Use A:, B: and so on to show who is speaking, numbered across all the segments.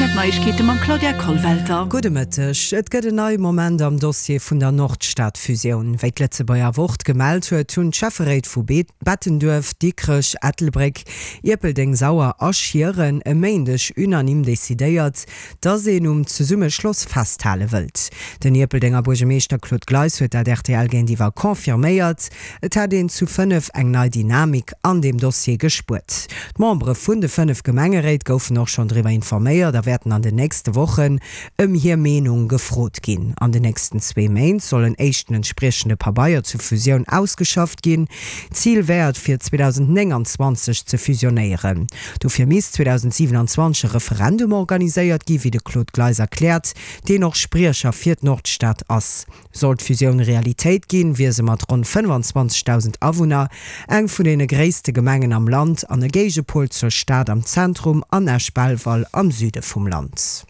A: Zäit Neiegkeete mam Claudia Kollwelter.
B: Gudde Mëtteg. Et gëtt en neie Moment am Dossier vun der Nordstad-Fusioun. Wéi d'Lëtzebuerger Wort gemellt huet, hunn d'Schäfferéit vu Bettenduerf, Dikrech, Ettelbréck, Ierpeldeng, Sauer a Schieren e Méindeg unanime decidéiert, dass een um Zesummeschloss festhale wëllt. Den Ierpeldenger Buergermeeschter Claude Gleis huet dat rtl géintiwwer confirméiert. Et hätt een zu 5 eng nei Dynamik an deem Dossier gespuert. D'Membere vun de 5 Gemengeréit goufen och schonn driwwer informéiert a wäerten an den nächste Wochen ëm hir Meenung gefrot ginn. An den nächsten zwee Méint soll en éischten entspriechende Pabeier zur Fusioun ausgeschafft ginn. Zil wär et fir 2029 ze fusionéieren. Dofir misst 2027 e Referendum organiséiert gi wéi de Claude Gleis erkläert, deen och Spriecher fir d'Nordstad ass. Sollt d'Fusioun Realitéit ginn, wier se mat ronn 25.000 Awunner eng vun deene gréisste Gemengen am Land an e Géigepol zur Stad am Zentrum an Esch-Belval am Süde vum Land.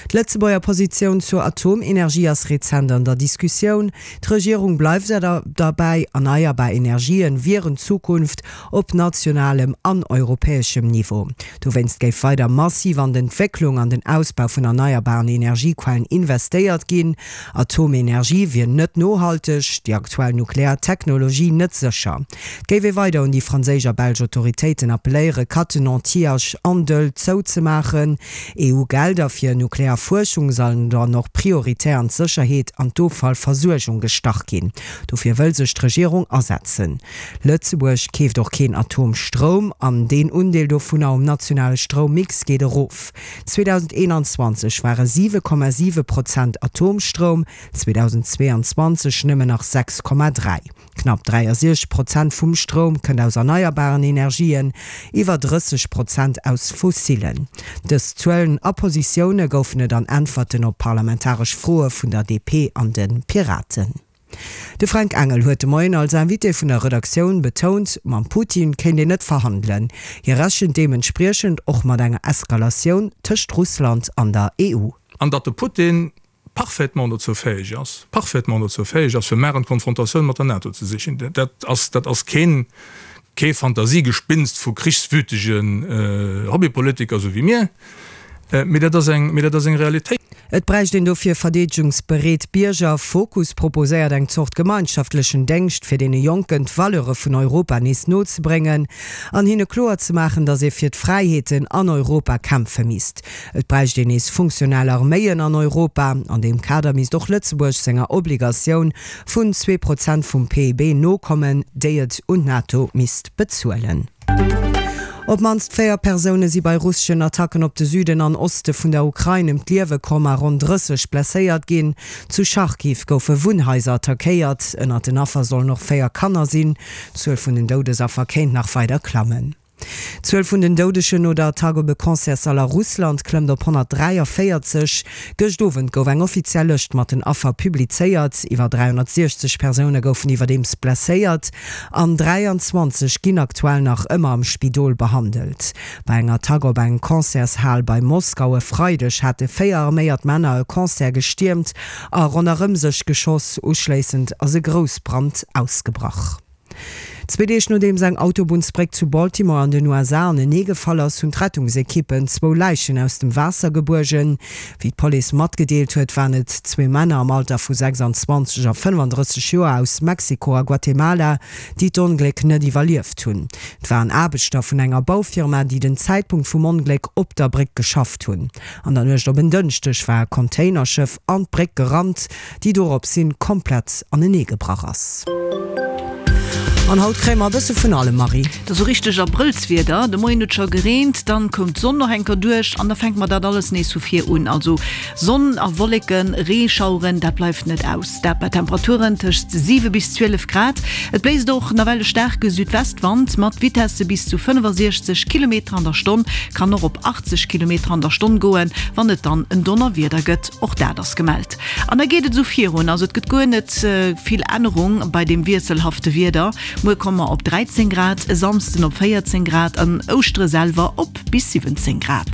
B: D'Lëtzebuerger Positioun zur Atomenergie ass rezent an der Diskussioun. D'Regierung bleift derbäi, erneierbar Energien wieren d'Zukunft op nationalem an europäeschem Niveau. Dowéinst géif weider massiv an d'Entwécklung an den Ausbau vun erneierbaren Energiequellen investéiert ginn. Atomenergie wier net nohalteg, déi aktuell nuklear Technologie net sécher. Et géif ee weider un déi franséisch a belsch Autoritéiten appelléieren, Cattenom, Tihange an Doel zouzemaachen. EU-Gelder fir nuklear Fuerschung sollen dann och prioritär an d'Sécherheet an d'Offallversuergung gestach ginn. Dofir wëll sech d'Regierung asetzen. Lëtzebuerg keeft och keen Atomstroum an deen Undeel dovunner um nationale Stroummix geet erof. 2021 ware 7,7 Prozent Atomstroum, 2022 nëmmen nach 6,3. Knapp 63 Prozent vum Stroum kënnt aus erneierbaren Energien, iwwer 30 Prozent aus fossillen. Dës Zuelen a Positioune goufen et an Äntwerten op parlamentaresch Froe vun der DP an de Piraten. De Fränk Engel huet de Moien als Invité vun der Redaktioun betount, mam Putin kéint een net verhandelen. Hie rechent deementspriechend och mat enger Eskalatioun tëscht Russland an der EU.
C: An datt de Putin parfaitement dozou fäeg ass, parfaitement dozou fäeg ass, fir mar eng Konfrontatioun mat der NATO ze sichen. Dat ass, dat ass keen, kee Fantasiegespinst vu krichswütegen Hobbypolitiker, esou wéi mir, mee dat ass eng, mee dat ass eng Realitéit.
B: Et bräicht een dofir verdeedegungsbereet Bierger. Fokus proposéiert eng Zort gemeinschaftlechen Déngscht, fir deene Jonken d'Valeure vun Europa nees nozebréngen an hinne kloer ze maachen, datt ee fir d'Fräiheeten an Europa kämpfe misst. Et bräicht een nees funktionell Arméien an Europa. An deem Kader misst och Lëtzebuerg senger Obligatioun vun 2 Prozent vum PIB nokommen, déi et un d'NATO misst bezuelen. Op d'mannst 4 Persoune si bei russeschen Attacken op de Süden an Oste vun der Ukrain ëm d'Liewe komm a ronn 30 blesséiert ginn. Zu Charkiw goufe Wunnhaiser attackéiert. Ënnert den Affer sollen och 4 Kanner sinn. D'Zuel vun den Doudesaffer kéint nach weider klammen. D'Zuel vun den Doudegen no der Attack op e Concertssall a Russland klëmmt op 143. Gëscht Owend gouf eng offiziell Lëscht mat den Affer publizéiert. Iwwer 360 Persoune goufen iwwerdeems blesséiert an 23 ginn aktuell nach ëmmer am Spidol behandelt. Bei enger Attack op eng Concertshal bei Moskau e Freideg hate 4 arméiert Männer e Concert gestiermt a ronderëm sech geschoss. Uschléissend ass e Groussbrand ausgebrach. Zwee Deeg nodeems eng Autobunnsbréck zu Baltimore an den USA anenee gefall ass, hunn d'Rettungsekippen zwou Läichen aus dem Waasser gebuergen. Wéi d'Police matgedeelt huet, waren et zwee Männer am Alter vu 26 a 35 Joer aus Mexiko a Guatemala, déi d'Ongléck net iwwerlieft hunn. Et waren Aarbechter vun enger Baufirma, déi den Zäitpunkt vum Ongléck op der Bréck geschafft hunn. An der Nuecht op en Dënschdeg war e Containerschëff an d'Bréck gerannt. déi dorops hin komplett anenee gebrach ass. An haut kréie mer e bësse vun allem, Marie.
A: Et ass sou richteg Abrëllswieder. De Moien huet scho gereent, dann koum d'Sonn nach eng Kéier duerch an da fänke mer dat alles nees vu vir un. Also Sonn a Wolleken, Reeschaueren, dat bleift net aus. Dat bei Temperaturen tëscht 7 bis 12 Grad. Et bléist och nawell e staarke Südwestwand mat Vitesse bis zu 65 Kilometer an der Stonn, kann och op 80 Kilometer an der Stonn goen, wann et dann en Donnerwieder gëtt. Och dat ass gemellt. An da geet et esou virun, also et gëtt guer net vill Ännerung bei deem wiesselhafte Wieder. Muer komme mer op 13 Grad, e Samsden op 14 Grad an Ouschtere selwer op bis 17 Grad.